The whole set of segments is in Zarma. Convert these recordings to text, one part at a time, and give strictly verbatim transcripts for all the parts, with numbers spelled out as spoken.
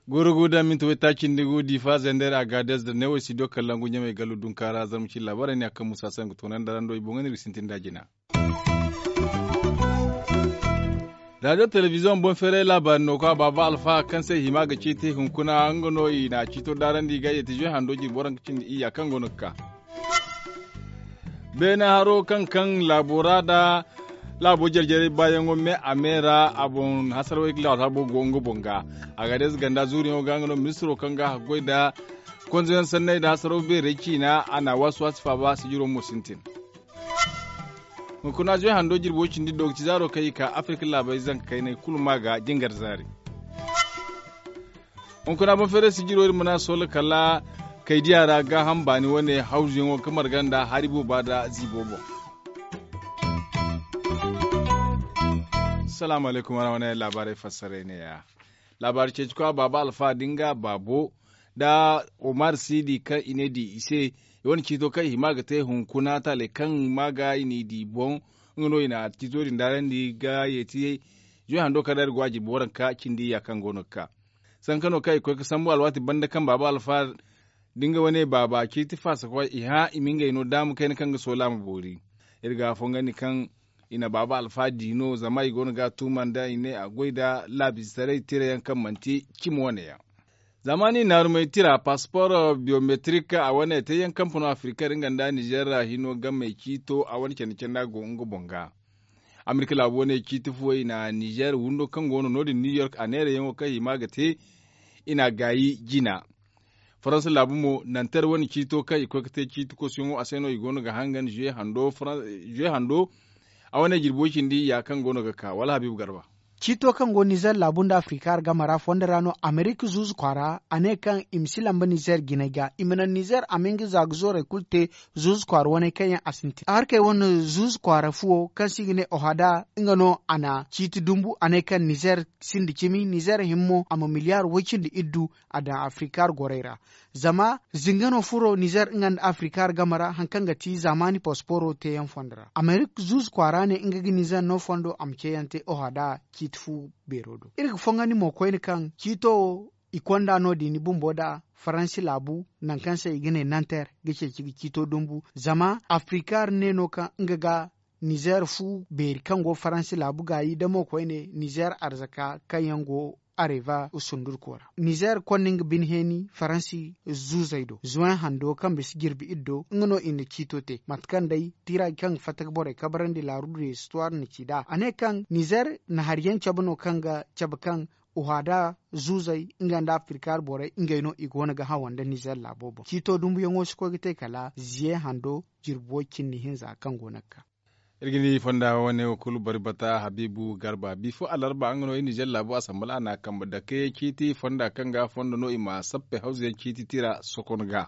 Gurugu da minti waytaaci nda gu diifa zender a gaadez da neewey studio kallaŋ gu ɲamey gallu dunkaara zarma cine laabaarey ne a kaŋ musa se nga toonandi ra ndo i boŋ ga ne iri ga sintin nd'a jina. Radiyo telebiziyoŋ boŋ feeray laabaari no ka baaba alfa kaŋ se hima ga ciiti hunkuna nga no i na ciito daarandi ga yeeti zuwe hando jirbo ra nga cindi iyya kaŋ go no ga ka. Beene haro kaŋ kaŋ laabo ra da laabo jare-jarey baayaŋo me a me ra a boŋ hasarawey ga laabo go nga boŋ ga. A ga day ize ganda zuuriyaŋo ga nga no ministiro kaŋ ga haggoy nda konzoyaŋ sanney nda hasaraw beerey ciina a na a waasi-waasi faaba sijiro mo sintin. Hunkuna zuwe hando jirbo cindi do ga ci zaaro kaŋ i ka afirka laabey zanka kaynay kulu ma ga jingar zaari. Hunkuna boŋ feeray sijiro iri mana soola kala kaydiya ra gaaham baani wane hawzuyaŋo ga marga nda hari booba nda ziibo boŋ. Salaamu alaykum waraxama ne laabaarey fassaray neeya. Laabaari ceeci kwa baaba alfa da nga baabo nda omar siidi kaŋ i ne di i se i wane ciito kaŋ i hima ga te hunkuna taaley kaŋ ma ga i n'i di boŋ. Nga no i na ciito din daarandi ga yeeti zuwe hando kaŋ ra iri go a jirbi waranka cindi iyya kaŋ go no ga ka. Sanka no kaŋ i koy ga sambu alwaati banda kaŋ baaba alfa da nga wane baaba ciiti faasa koy i hã i ma ngey no daama kayna kaŋ ga soola a ma boori. Iri ga a fongandi kaŋ i na baaba alfa di no zama i go no ga a tuuma nda i ne a goy nda laabiisaray tirayaŋ kaŋ manti cimi wane yaŋ. Zama ni naarumey tira paspor biyometrik a wane te yaŋ kampano afirika iri nga nda nizer ra hino game ciito a wane candi candi a go nga boŋ ga. Amerika laabu wane ciiti fuwey i na nizer windo kaŋ go no no- din new york a neerayaŋo kaŋ hima ga te i na a gaayi jina. Faransa laabu mo nanter wane ciito kaŋ i koy ga te ciiti kosuyaŋo a se no i go no ga hangan zuwe hando a wane jirbi way cindi ya kaŋ go no ga ka wala habiibu garba. Ciito kaŋ go nizer laabu nda afrika hargama ra fondo ra no amerika zuuzu kwaara a ne kaŋ i ma si lamba nizer jinay ga i ma naŋ nizer a ma nga zaaga zoorey kulu te. Zuuzu kwaara waney kaŋ yaŋ a sintin harkey wane zuuzu kwaara fuwo kaŋ se i ga ne ohada nga no a na ciiti dumbu a ne kaŋ nizer sinda cimi nizer himmo a ma miliyaar way cindi iddu a daŋ afrikaar gorey ra. Zama zinga no furo nizer nga nda afrikaar game ra hari kaŋ ga ti zaamaani pasporo teeyaŋ fondo ra amerik zuuzu kwaara ne nga ga nizer no fondo a ma ceeyaŋ te ohada ciiti fu beero do iri ga fongandi mo koyne kaŋ ciito wo i konda no- din bumbo nda faransi laabu nangu kaŋ se i ga ne nanter ga ceeci ga ciito dumbu zama afrikaar ne no kaŋ nga ga nizer fu beeri kaŋ go faransi laabu gaayi da mo koyne nizer arzaka kaŋ yaŋ go areva sundurko ra nizer konda nga bine heeni faransi zuuzey do zuwen hando kaŋ bisa jirbi iri do nga no i na ciito te mate kaŋ day tira kaŋ ga fatta ga borey kabarandi laaru du rezistuwaar na ci nd'a a ne kaŋ nizer na hari yaŋ cabe no kaŋ ga cabe kaŋ uhada zuuzey nga nda afirkaar borey ngey no i go no ga hawa nda nizer laabo boŋ ciito dumbuyaŋo si koy ga te kala ziye hando jirbi way cindi hinza kaŋ go no ga ka. Iri ga ni fonda wane wo kulu bari bata habiibu garba bifo alarba nga no iri nizer laabu asambala a na a kambe dake ciiti fonda kaŋ ga fondo no i ma sappe hawzu yaŋ ciiti tira sokon ga.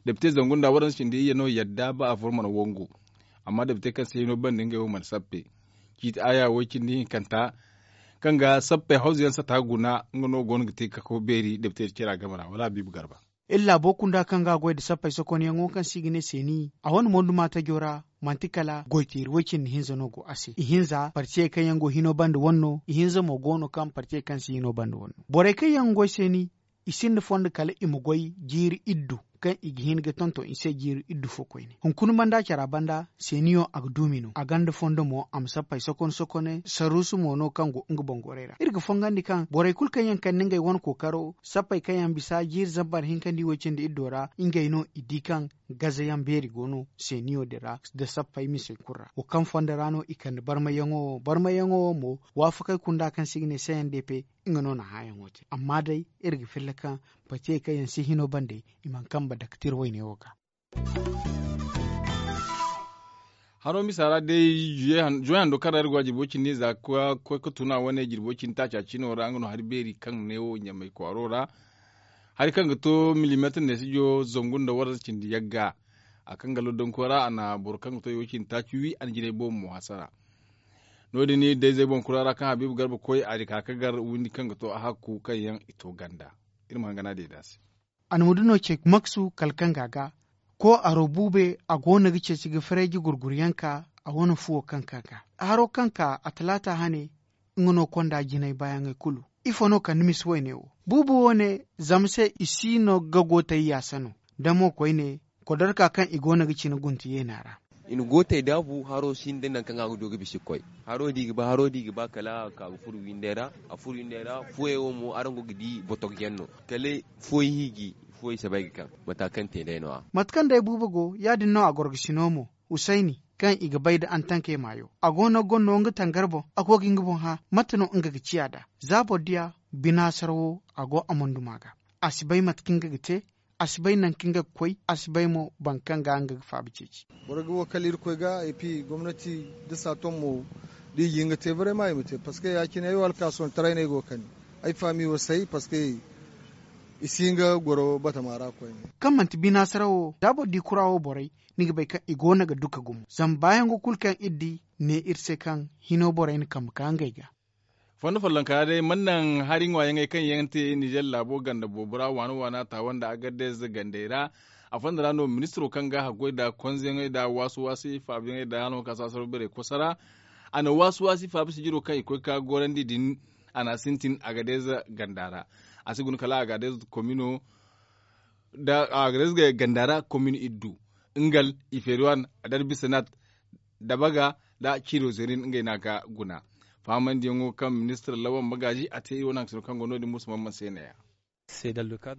Depite zangu nda waransu cindi iyye no yadda ba a furo mana wangu. Amma depite kaŋ se hino banda ngey wo mana sappe ciiti aya way cindi hinkanta kaŋ ga sappe hawzu yaŋ sata guna nga no go no ga te kako beeri depite cira game ra wala habiibu garba. Iri laabo kunda kaŋ ga a goy nda sappey sokonyaŋo kaŋ se i ga ne seeni a wane monduma tajo ra manti kala goy teeri way cindi hinza no go a se ihinza partiyey kaŋ yaŋ go hino banda wane no ihinza mo go no kaŋ partiyey kaŋ si hino banda wane no borey kaŋ yaŋ ga goy seeni i sinda fondo kala i ma goy jiiri iddu kaŋ i ga hin ga tonton i se jiiri iddu fo koyne hunkuna banda cara banda seeniyo a ga duumi no a gonda fondo mo a ma sappey sokon sokone sarruusu mo no kaŋ go nga boŋ gorey ra iri ga fongandi kaŋ borey kulu kaŋ yaŋ kande ngey wane kookaro sappey kaŋ yaŋ bisa jiiri zambar hinkandi way cindi iddo ra ngey no i di kaŋ gazayaŋ beeri go no seeniyo din ra nda sappey misey kulu ra wo kaŋ fondo ra no i kande barmayyaŋo wo barmayyaŋo wo mo waafakey kunda kaŋ se i ga ne cndp nga no na hãayaŋo te amma day iri ga filla kaŋ patiyey kaŋ yaŋ si hino bande i mana kambe dake tira wayne wo ga. Haro misa ra day juwe hando kaŋ ra iri go a jirbo cindi za ga koy ga tuna wane jirbo cindi taaca cino ra nga no hari beeri kaŋ ne wo ɲamay kwaaro ra hari kaŋ ga to milimeetir neesijo zangu nda warza cindi yagga. A kaŋ ga loddanko ra a na boro kaŋ ga to i wo cindi taaci wi a na jinay boobo mo hasara. No- din day zey boŋ kura ra kaŋ habiibu garba koy a di ka ga gar windi kaŋ ga to a hakku kaŋ yaŋ i to ganda. Iri ma hangan a deeda se. A na mudino ce maksu kala kaŋ ga a ga ko aro buube a go no ga ceeci ga farayji gurguryaŋ ka a wane fuwo kaŋ ka ga haro kaŋ ka a talaata hane. Nga no konda jinay baayaŋey kulu ifo no kande misa wayne wo buubu wo ne zama se i si no ga go tay yaasa no da mo koyne kodarka kaŋ i go no ga cine guntu yeena ra. I na gootey daabu haro sinda nangu kaŋ a ga du ga bisa ga koy. Haro da i ga ba haro da i ga ba kala a ka ga furo windey ra. A furo windey ra fuwey wo mo araŋ go ga di botogyaŋ no kala fuwey hiiji. Fuwey sabay ga kaŋ mata kaŋ te day no- ya. Mate kaŋ day buubo go ya- din no a gorgasino mo husayni kaŋ i ga bay nda antankey maayo a go no ga gonno nga tangar boŋ a go ga nga boŋ hã. Mate no nga ga ciya nd'a za boro diya binaasar wo a go a monduma ga. A si bay mate kaŋ nga ga te a si bay nangu kaŋ nga ga koy a si bay mo boro kaŋ ga nga ga faaba ceeci. Boro ga wo kala irkoy ga epi gomnati da saaton mo da i ga hin ga te barey ma i ma te parceque ya- cine ay wo alkaasoontaray no ay go ga kani. Ay faami wo say parceque i si hin ga goro batama ra koyne. Kaŋ manti binaasara wo da boro di kura wo borey ni ga bay kaŋ i go no ga duka gumo zama baayaŋo kulu kaŋ iri di ne iri se kaŋ hino borey na kambe ka ngey ga. Fondo follonka ra day mana naŋ hari ŋwaayaŋey kaŋ yaŋ te nizer laabo ganda boobo ra waana waana taawa nda agardez gandey ra. A fondo ra no ministiro kaŋ ga haggoy nda konzeyaŋey nda waasi-waasi faabiyaŋey nda hano ka saasaro beerey kosa ra. A na waasi-waasi faabi sijiro kaŋ i koy ka gorandi din a na a sintin agardez ganda ra. A si guna kala agardez komino nda agardez ganda ra komin iddu, ngal, iferiwan, adarbisanat, dabaga, nda ciiro zerin ngey no a ga guna. Fahamandiyaŋo kaŋ ministir lawan magaaji a te iri wane haŋ ka sino kaŋ go no- din musu man man se ne- ya.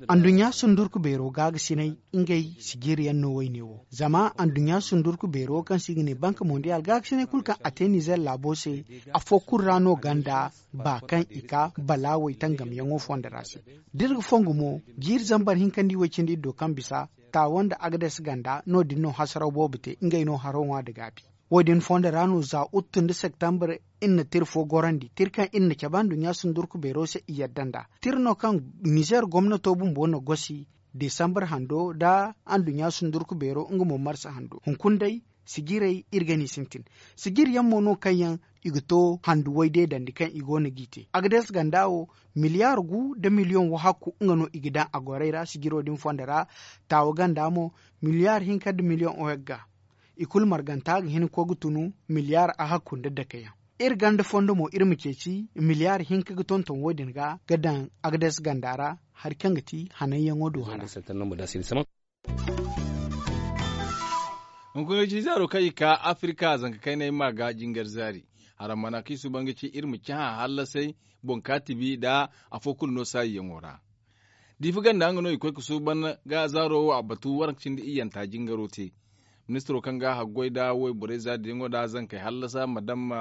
Anduɲɲa sundurku beero gaagasinay ngey sijiriyaŋ no woyne wo zama anduɲɲa sundurku beero kaŋ se i ga ne banka mondiyal gaagasinay kulu kaŋ a te nizer laabo se. Afo kulu ra no ganda ba kaŋ i ka balaawey tangamyaŋo fondo ra se. Da iri ga fongu mo jiiri zambar hinkandi way cindi iri do kaŋ bisa taawa nda agades ganda no- din no hasaraw boobo te ngey no haro ŋwa nda gaabi. Wo- din fondo ra no za uttu nda septembre iri na tira fo gorandi tira kaŋ iri na cabe anduɲɲa sundurku beero se i yadda nd'a. Tira no kaŋ nizer gomnato bumbo na gosi desambar hando nda anduɲɲa sundurku beero nga mo marsa hando hunkuna day. Sijirey iri ga ni sintin sijiri yaŋ mo no kaŋ yaŋ i ga to handu way deedandi kaŋ i go no g'i te agades ganda wo. Miliyaar gu nda miliyoŋ wahakku nga no i ga daŋ a gorey ra sijiro din fondo ra. Taawa ganda mo miliyaar hinka nda miliyoŋ ohek ga. I kulu marganta ga hin ga koy ga tunu miliyaar ahakku nda dake yaŋ. Iri ganda fondo mo iri ma ceeci miliyaar hinka ga tonton wo- din ga ga daŋ agades ganda ra. Hari kaŋ ga ti hananyaŋo do hara. Hunkuna ci zaaro kaŋ i ka afirka zanka kaynay ma ga jingar zaari. Haramana kaŋ i suuban ga ci iri ma cahã hallasay boŋ ka tibi nda afo kulu no saayiyaŋo ra. Diifa ganda nga no i koy ga suuban ga zaaro wo a batu waranka cindi iyyanta jingaro te. Ministiro kaŋ ga haggoy nda wayborey zaariyaŋo nda zankey hallasa madam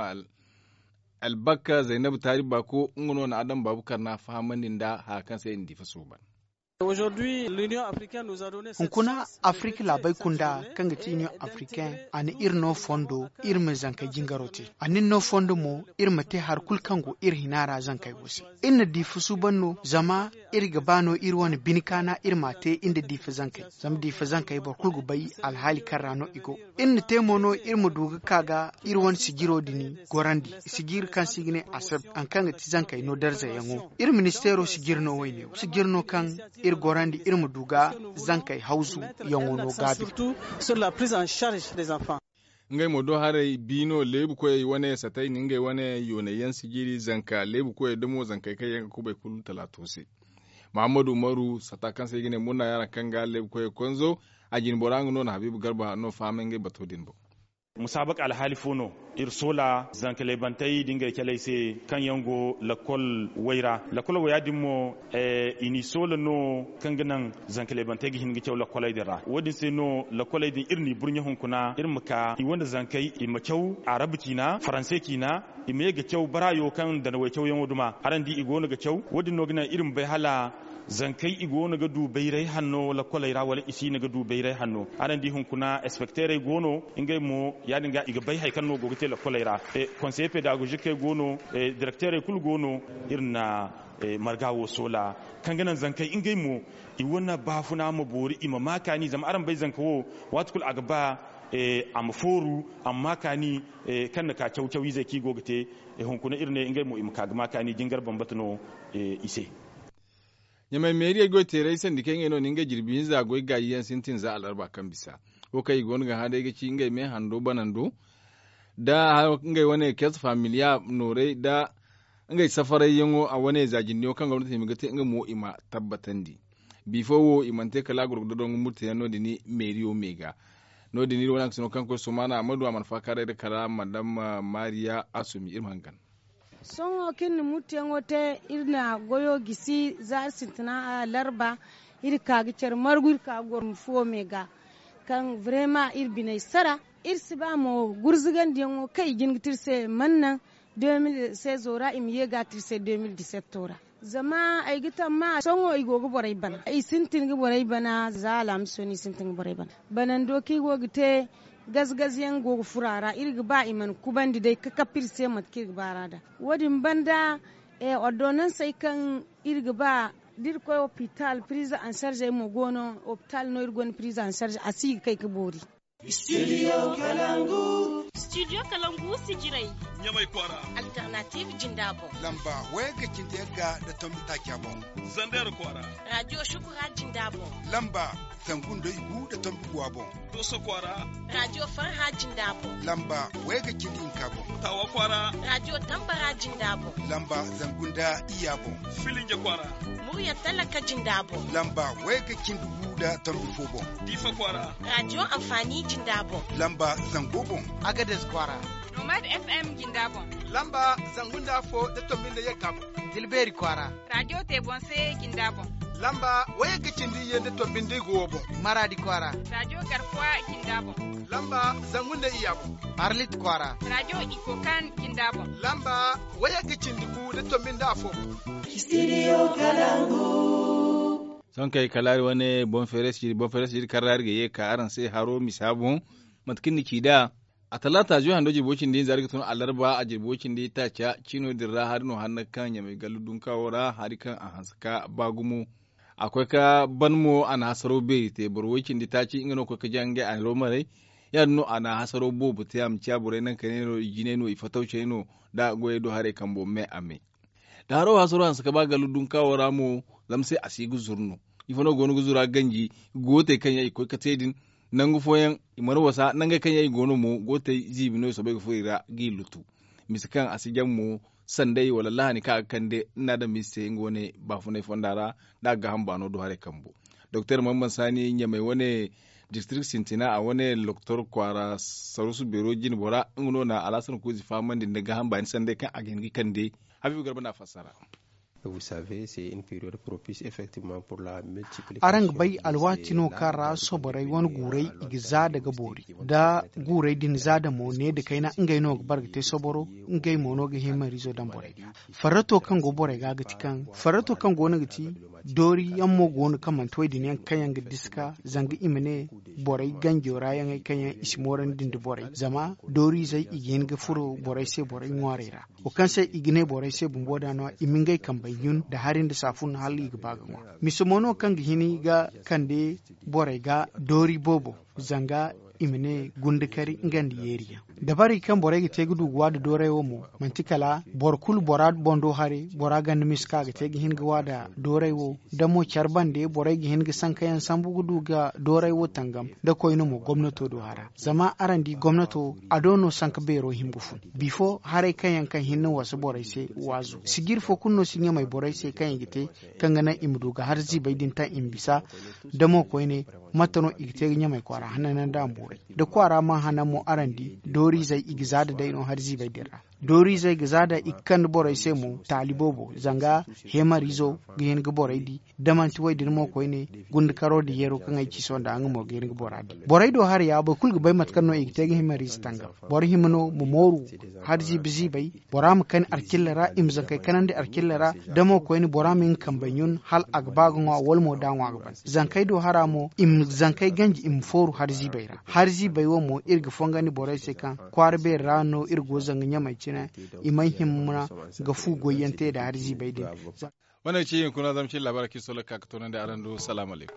albakka zaynab taari baako nga no na adam baabu karna fahamandi nda haya kaŋ se i na diifa suuban. Hunkuna afirka laabey kunda kaŋ ga ti union africaine a na iri no fondo iri ma zankey jingaro te. A na iri no fondo mo iri ma te hari kulu kaŋ go iri hina ra zankey wo se. Iri na diifa suuban no zama iri ga ba no iri wane bine kaana iri m'a te iri nda diifa zankey zama diifa zankey boro kulu ga bay alhaali kaŋ ra no i go. Iri na te mo no iri ma du ga ka ga iri wane sijiro din gorandi. Sijiri kaŋ se i ga ne aseb hari kaŋ ga ti zankey no darzayaŋo iri ministeero sijiri no wayne wo sijiri no kaŋ iri gorandi iri ma du ga zankey hawzu yaŋo no gaabi. Ngey mo do haray bi no leebu koyey wane satay na ngey wane yoonay yaŋ sijiri zanka leebu koyey damo zankey kaŋ yaŋ ga kubay kulu talaato se. Mahammadu umaru sata kaŋ se i ga ne murna yaŋ ra kaŋ ga leebu koyey konzo. A jine bora nga no na habiibu garba no fahamay ngey bato din boŋ. Musaabaka alhaali fo no iri soola zanka leebantey da ngey caley se kaŋ yaŋ go lakkol way ra lakkol waya din mo i n'i soola no kaŋ ga naŋ zanka leebantey ga hin ga caw lakkoley din ra wo- din se no lakkoley din iri n'i burɲe hunkuna iri ma ka i wane zankey i ma caw arabu ciina faranse ciina. I ma ye ga caw baraayo kaŋ danawey cawyaŋo duma araŋ di i go no ga caw wo- din no ga naŋ iri ma bay hala zankey i go no ga du bayray hanno lakkoley ra wala i si no ga du bayray hanno araŋ di hunkuna inspekteerey go no. Ngey mo ya- din ga i ga bay hari kaŋ no go ga te lakkoley ra. Konseye pedagogikey go no. Direkteerey kulu go no. Iri na marga wo soola kaŋ ga naŋ zankey ngey mo i wane baafuna ma boori i ma ma kaani zama araŋ bay zanka wo waati kulu a ga ba a ma fooru a ma ma kaani. Kaŋ na ka caw caw izey kaŋ i go ga te hunkuna iri ne ngey mo i ma ka ga ma kaani jingar bambata no i se. Ɲamay meeriyey goy teerey sandi kaŋ ngey no na ngey jirbi hinza goy gaayi yaŋ sintin za alarba kaŋ bisa. Wo kaŋ i go no ga hã day ga ci ngey me hando banando da ngey wane kers familiya noorey da ngey safarayyaŋo a wane za jindiyaŋo kaŋ gomnati hima ga te nga mo i ma tabbatandi. Bifo wo i mana te kala a goro ga dodon ga murtayaŋ no- din meeriyo me ga. No- din iri wane hangasino kaŋ koy sumaana a ma du a mana faakaaray da kala madam mariya asumi iri ma hangan. Sohõ kaŋ iri na murteyaŋo te iri na goyo gisi zaari sintina larba. Iri ka ga care margu iri ka ga goro fuwo me ga kaŋ vrema iri biney sara. Iri si ba mo gurzugandiyaŋo kaŋ i jin ga te iri se mana naŋ de mil sezo ra i ma ye ga te iri se de mil disetto ra. Zama ay ga tamma sohõ i go ga borey bana i sintin ga borey bana za alhamiso no i sintin ga borey bana. Banando kaŋ i go ga te gaze gaze yaŋ go ga furo a ra iri ga ba i mana kubandi day ka kappe iri se mate kaŋ iri ga ba ra nd'a. Wo- din banda ordonansey kaŋ iri ga ba da iri koy opital pirize ansarze mo go no. Opital no iri gonda pirize ansarze a si ga kay ga boori. Studio kalangu. Studio kalangu si jiray. Ɲamay kwaara. Alternative jinda boŋ. Lamba wayagga cindi yagga nda tombi taaca boŋ. Zander kwaara. Radio shukura jinda boŋ. Lamba zangu nda igu nda tombi guwa boŋ. Dooso kwaara. Radio farha jinda boŋ. Lamba wayagga cindi hinka boŋ. Taawa kwaara. Radio tambara jinda boŋ. Lamba zangu nda iyya boŋ. Filinje kwaara. Murya talaka jinda boŋ. Lamba wayagga cindi gu nda tombi fo boŋ. Diifa kwaara. Radio anfaani jinda boŋ. Lamba zango boŋ. Agades kwaara. Nomad fm jinda boŋ. Lamba zangu nda afo nda tombi nda yagga boŋ. Tilbeeri kwaara. Radio te boŋ se jinda boŋ. Lamba wayagga cindi iyye nda tombi nda igu wo boŋ. Maraadi kwaara. Radio garkuwa jinda boŋ. Lamba zangu nda iyya boŋ. Arlit kwaara. Radio ikokan jinda boŋ. Lamba wayagga cindi gu nda tombi nda afo boŋ. Studio kalangu. Sohõ kay kala hari wane boŋ feeray si jiri kaŋ ra hari ga ye ga ka araŋ se haro misa boŋ. Mate kaŋ ni ci nd'a a talaata zuwe hando jirbi way cindi hinza hari ga tun alarba a jirbi way cindi taaca ciino din ra hari no hanna kaŋ ɲamay gallu dunkawo ra hari kaŋ a hanse ka ba gumo. A koy ka ban mo a na hasaro beeri te boro way cindi taaci nga no koy ka jaŋ ngey a hiro maray. Ya- din no a na hasaro boobo te a ma ciya borey naŋ kayne no i jinay no i fatawcey no da goyey do haray kambo me a me. Da haro hasaro hanse ka ba gallu dunkawo ra mo zama se a si ga zuru no. Ifo no go no ga zura ganji gootey kaŋ yaŋ i koy ka te din. Nangu fooyaŋ i mana wasa nangey kaŋ yaŋ i go no mo gootey ziibi no i soobay ga furo i ra g'i lutu. Mise kaŋ a si jaŋ mo sanday wala lahani kaŋ a ga kande ni na daŋ mise se nga wane baafunay fonda ra. Da a ga gaaham baano do haray kambo doktor mamman saani ɲamay wane district sintina a wane loktor kwaara sarusu beero jine bora nga no na alhasan kuuzi fahamandi nda gaaham baani sanday kaŋ a ga hin ga kande. Habiibu garba no a fassara. Araŋ ga bay alwaati no kaŋ ra soborey wane guurey i ga zaada ga boori da guurey din zaada mo ne nda kayna ngey no ga bara ga te soboro. Ngey mo no ga himariizo daŋ borey ga farrato kaŋ go borey ga ga ti kaŋ farrato kaŋ go no ga ti doori yaŋ mo go no kaŋ manti wo- din yaŋ kaŋ yaŋ ga diska zanga i ma ne borey ganjo ra yaŋey kaŋ yaŋ i si moorandi nda borey zama dooriizey i ga hin ga furo borey se borey ŋwaarey ra. Wo kaŋ se i ga ne borey se bumbo da no i ma ngey kambey ɲun nda hari nda saafun hala i ga ba ga ŋwa. Mise mo no kaŋ ga hin ga kande borey ga doori boobo zanga i ma ne gundakari nga nda yeeriyaŋ. Dabarey kaŋ borey ga te ga du ga waada dooray wo mo manti kala boro kulu bora boŋ do haray bora ganda mise kaŋ a ga te ga hin ga waada dooray wo. Da mo care bande borey ga hin ga sankayaŋ sambu ga du ga dooray wo tangam da koyne mo gomnato do hara zama araŋ di gomnato a do no sanka beero hima ga fun bifo haray kaŋ yaŋ kaŋ hinne wasa borey se waazu sijiri fo kulu no si ɲamay borey se kaŋ i ga te kaŋ ga naŋ i ma du ga har ziibay din taŋ i ma bisa. Da mo koyne mate no i ga te ga ɲamay kwaara hananyaŋ da a ma boori da kwaara mana hanan mo araŋ di dooriizey i ga zaada day no har ziibay din ra. Dooriizey ga zaada i ga kande borey se mo taali boobo zanga heemariizo ga hin ga borey di da manti wo- din mo koyne gundakaro nda yeero kaŋ ay ci sohõ nda nga mo ga hin ga bora di borey do haray ya boro kulu ga bay mate kaŋ no i ga te ga heemariize tangam. Boro hima no ma mooru har ziibi ziibay bora ma kani alkilla ra i ma zankey kanandi alkilla ra. Da mo koyne bora ma nga kambey ɲun hala a ga ba ga ŋwa wala mo da a ŋwa ga ban zankey do hara mo i ma zankey ganji i ma fooru har ziibey ra har ziibey wo mo iri ga fongandi borey se kaŋ kwaara beeri ra no iri go zanga ɲamey cine. I may hima ga fu goyyaŋ te nda har ziibey din. Wane ga ci hinkuna zama cine laabaarey kaŋ iri sohõ ga ka ga toonandi araŋ do salaamu alaykum.